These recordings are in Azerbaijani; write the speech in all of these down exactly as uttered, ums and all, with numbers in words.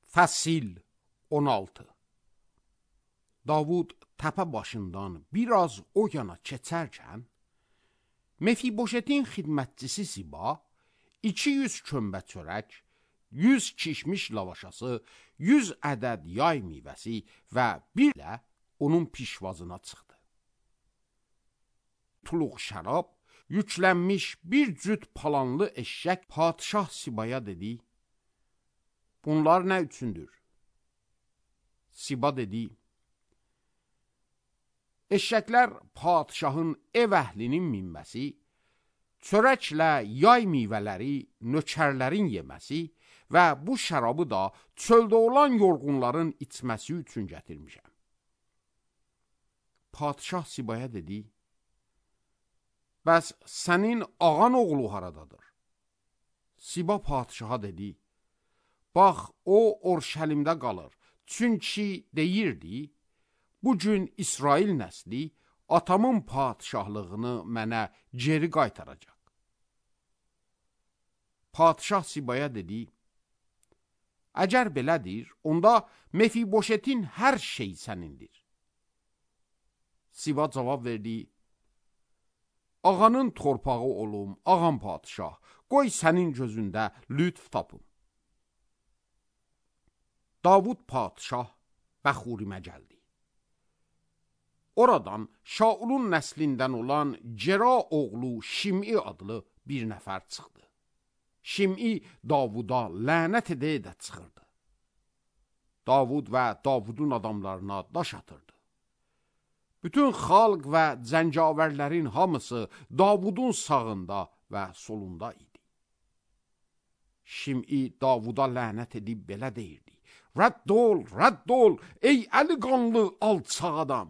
Fəsil on altı. Davud təpə başından biraz o yana keçərkən, Mefiboşetin xidmətçisi Siba iki yüz kömbə çörək, yüz kişmiş lavaşası, yüz ədəd yay meyvəsi və bir ilə onun pişvazına çıxdı. Tuluq şərab, yüklənmiş bir cüt palanlı eşşək padişah Sibaya dedi, bunlar nə üçündür? Siba dedi, eşşəklər padişahın ev əhlinin minməsi, çörəklə yay meyvələri nökərlərin yeməsi və bu şərabı da çöldə olan yorğunların içməsi üçün gətirmişəm. Padişah Sibaya dedi, bəs sənin ağan oğlu haradadır? Siba padişaha dedi, bax, o Orşəlimdə qalır, çünki deyirdi, bugün İsrail nəsli atamın padişahlığını mənə geri qaytaracaq. Padişah Sibaya dedi, əgər belədir, onda Mefiboşetin hər şey sənindir. Siba cavab verdi, ağanın torpağı olum, ağam padişah, qoy sənin gözündə lütf tapım. Davud padişah Bəxurimə gəldi. Oradan Şaulun nəslindən olan Cera oğlu Şim'i adlı bir nəfər çıxdı. Şim'i Davuda lənət edə-edə çıxırdı. Davud və Davudun adamlarına daş atırdı. Bütün xalq və cəngavərlərin hamısı Davudun sağında və solunda idi. Şim'i Davuda lənət edib belə deyirdi, rədd ol, rədd ol, ey əli qanlı alçaq adam!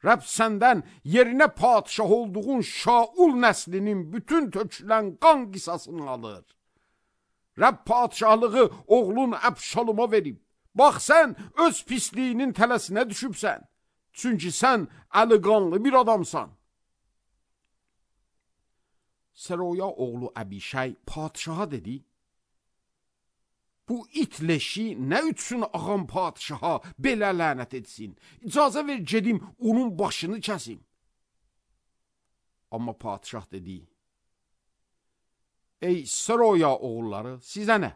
Rəbb səndən yerinə padişah olduğun Şaul nəslinin bütün tökülən qan qisasını alır. Rəbb padişahlığı oğlun Əbşaloma verib. Bax, sən öz pisliyinin tələsinə düşübsən. Çünki sən əli qanlı bir adamsan. Seroya oğlu Əbişay padişaha dedi, bu it leşi nə üçün ağam padişaha belə lənət etsin? İcazə ver gedim, onun başını kəsim. Amma padişah dedi, ey Seroya oğulları, sizə nə?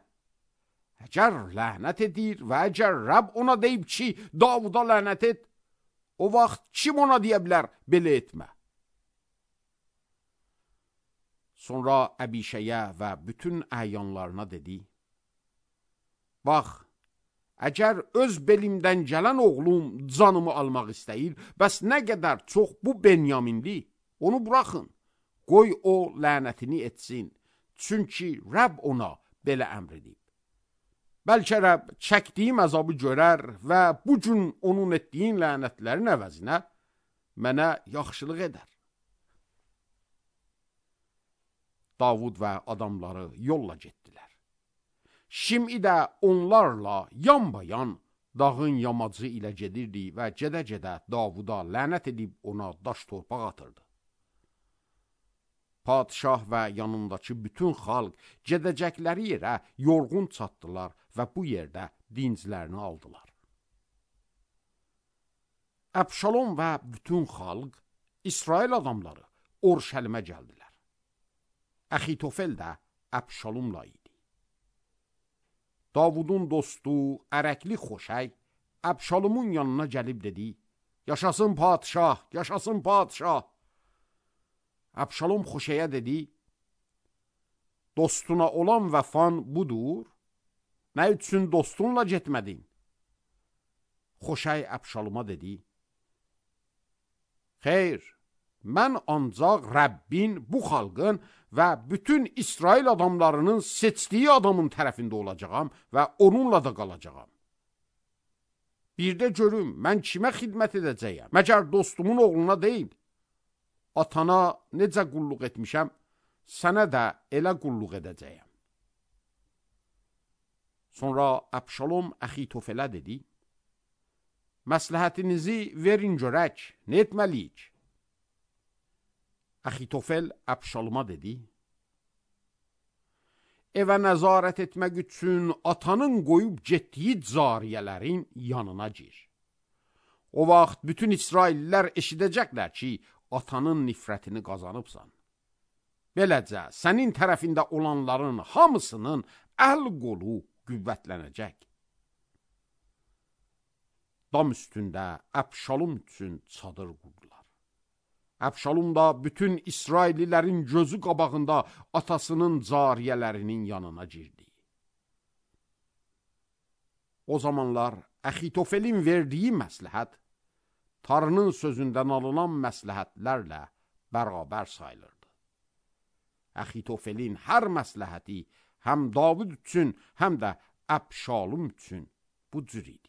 Əgər lənət edir və əgər Rəbb ona deyib ki, Davuda lənət et, o vaxt kim ona deyə bilər, belə etmə? Sonra Əbişəyə və bütün əyanlarına dedi, bax, əgər öz belimdən gələn oğlum canımı almaq istəyir, bəs nə qədər çox bu Benyaminli, onu buraxın, qoy o lənətini etsin, çünki Rəbb ona belə əmr edib. Bəlkə Rəbb çəkdiyim əzabı görər və bu gün onun etdiyin lənətlərin əvəzinə mənə yaxşılıq edər. Davud və adamları yolla getdilər. Şim'i də onlarla yanbayan dağın yamacı ilə gedirdi və gedə-gedə Davuda lənət edib ona daş torpaq atırdı. Padişah və yanındakı bütün xalq gedəcəkləri yerə yorğun çatdılar və bu yerdə dinclərini aldılar. Əbşalom və bütün xalq, İsrail adamları Orşəlimə gəldilər. Əxitofel də Əbşalomla idi. Davudun dostu, ərəkli Xoşəy, Əbşalomun yanına gəlib dedi, yaşasın padişah, yaşasın padişah. Əbşalom Xoşəyə dedi, dostuna olan vəfan budur, nə üçün dostunla getmədin? Xoşəy Əbşaloma dedi, xeyr, mən ancaq Rəbbin, bu xalqın və bütün İsrail adamlarının seçdiyi adamın tərəfində olacağam və onunla da qalacağam. Bir də görüm, mən kimə xidmət edəcəyəm? Məgər dostumun oğluna deyil, atana necə qulluq etmişəm, sənə də elə qulluq edəcəyəm. Sonra Əbşalom Əxitofelə dedi, məsləhətinizi verin görək, nə etməliyik? Əxitofel Əbşaloma dedi, evə nəzarət etmək üçün atanın qoyub getdiyi cariyələrin yanına gir. O vaxt bütün İsraillilər eşidəcəklər ki, atanın nifrətini qazanıbsan. Beləcə, sənin tərəfində olanların hamısının əl qolu qüvvətlənəcək. Dam üstündə Əbşalom üçün çadır qurdular. Əbşalom da bütün İsraillilərin gözü qabağında atasının cariyələrinin yanına girdi. O zamanlar Əxitofelin verdiyi məsləhət Tanrının sözündən alınan məsləhətlərlə bərabər sayılırdı. Əxitofelin hər məsləhəti həm David üçün, həm də Əbşalom üçün bu cür idi.